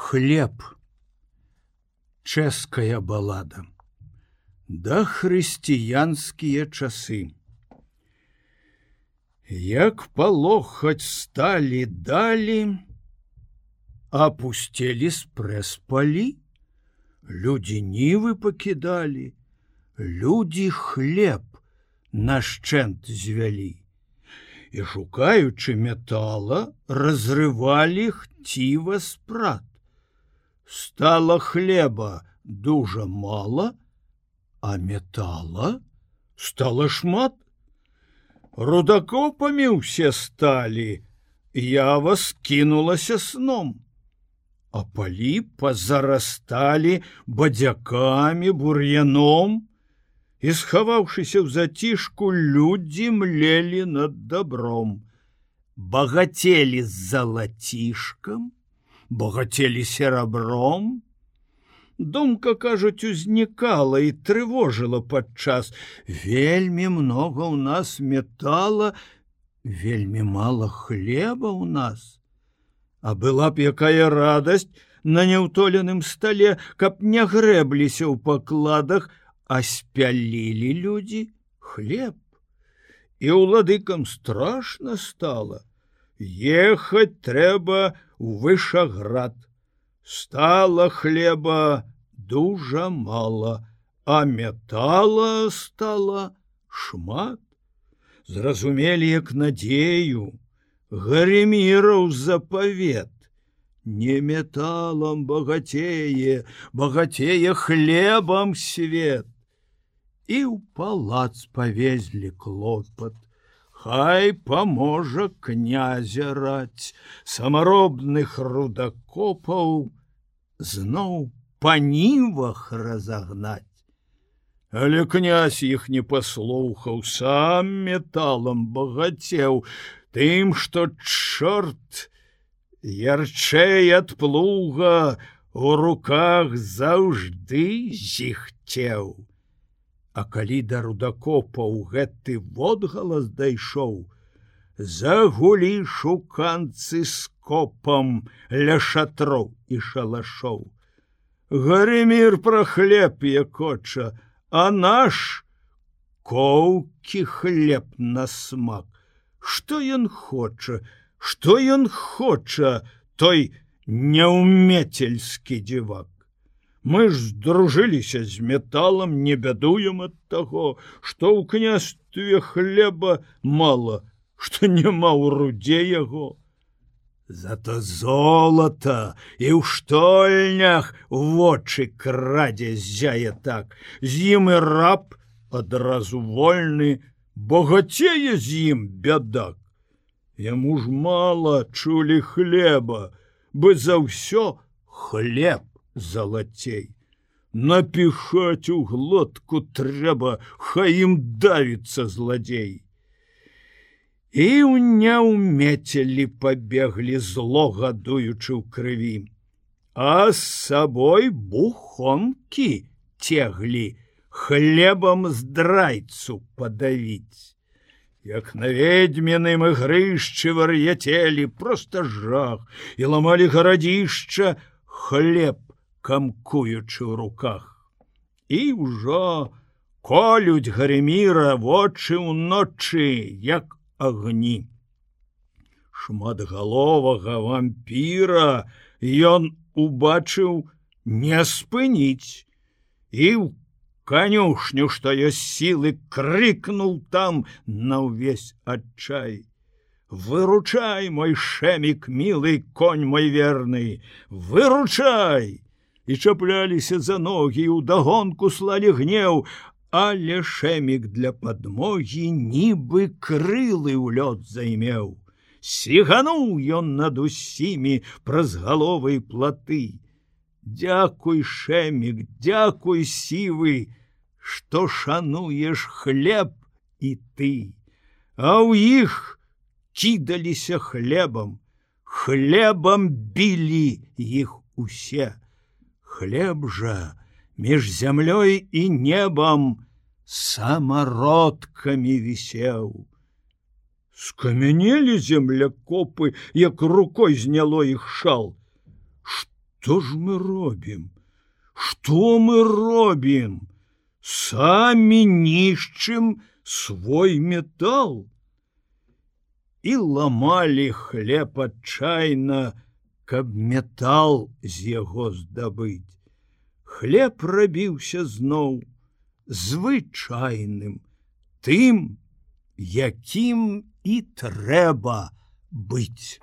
Хлеб. Чэшская балада. Да хрысціянскія часы. Як палохаць сталі далі, апусцелі спрэс-палі, людзі нівы пакідалі, людзі хлеб нашчэнт звялі. І шукаючы метала, разрывалі хціва спрат. Стала хлеба дужа мала, а метала стала шмат. Рудакопамі ўсе сталі, ява скінулася сном, а палі пазарасталі бадзякамі, бур'яном, і, схаваўшыся ў зацішку, людзі млелі над добром. Багацелі з залацішкам, багацелі серабром. Думка, кажуць, узнікала і трывожыла падчас. Вельмі многа ў нас метала, вельмі мала хлеба ў нас. А была б якая радасць на няўтоленым стале, каб не грэбліся ў пакладах, а спялілі людзі хлеб. І ўладыкам страшна стала. Ехаць трэба у Вышаград. Стала хлеба дужа мала, а метала стала шмат. Зразумелі, як надзею, Гареміраў запавет. Не металам багацее, багацее хлебам свет. І ў палац павезлі клопат. Хай паможа князя раць, самаробных рудакопаў зноў па нівах разагнаць. Але князь іх не паслухаў, сам металам багацеў, тым, што чорт ярчэй ад плуга у руках заўжды зіхцеў. А калі да рудакопаў гэты водгалас дайшоў, загулі шуканцы скопам ля шатроў і шалашоў. Гаремір пра хлеб якоча, а наш коўкі хлеб на смак. Што ён хоча, што ён хоча, той няўмецельскі дзівак. Мы ж здружыліся з металам, не бядуем ад таго, што ў княстве хлеба мала, што няма ў руде яго. Зато золата і ў штольнях вочы крадзе ззяе так, з ім і раб адразу вольны, багацее з ім бядак. Яму ж мала чулі хлеба, бы за ўсё хлеб залацей. Напіхаць у глотку трэба, хай ім давіцца зладзей. І ў няўмецелі пабеглі, зло гадуючы ў крыві, а з сабой бухонкі цеглі, хлебам здрайцу падавіць. Як на ведьміным ігрышчы вар'яцелі, проста жах, і ламалі гарадзішча, хлеб камкуючы ў руках. І ўжо колюць Гареміра вочы ўночы, як агні. Шматгаловага вампіра ён убачыў не спыніць, і ў канюшню, што ёсць сілы, крыкнуў там на ўвесь адчай. Выручай, мой шэмік мілы, конь мой верны, выручай! І чапляліся за ногі, і ўдагонку слалі гнеў, але шэмік для падмогі нібы крылы ў лёд займеў. Сігануў ён над усімі праз галовы і платы. Дзякуй, шэмік, дзякуй, сівы, што шануеш хлеб і ты. А ў іх кідаліся хлебам, хлебам білі іх усе. Хлеб жа між зямлёй і небам самародкамі вісеў. Скамянелі землякопы, як рукой зняло іх шал. Што ж мы робім? Што мы робім? Самі нішчым свой метал. І ламалі хлеб адчайна, каб метал з яго здабыць. Хлеб рабіўся зноў звычайным, тым, якім і трэба быць.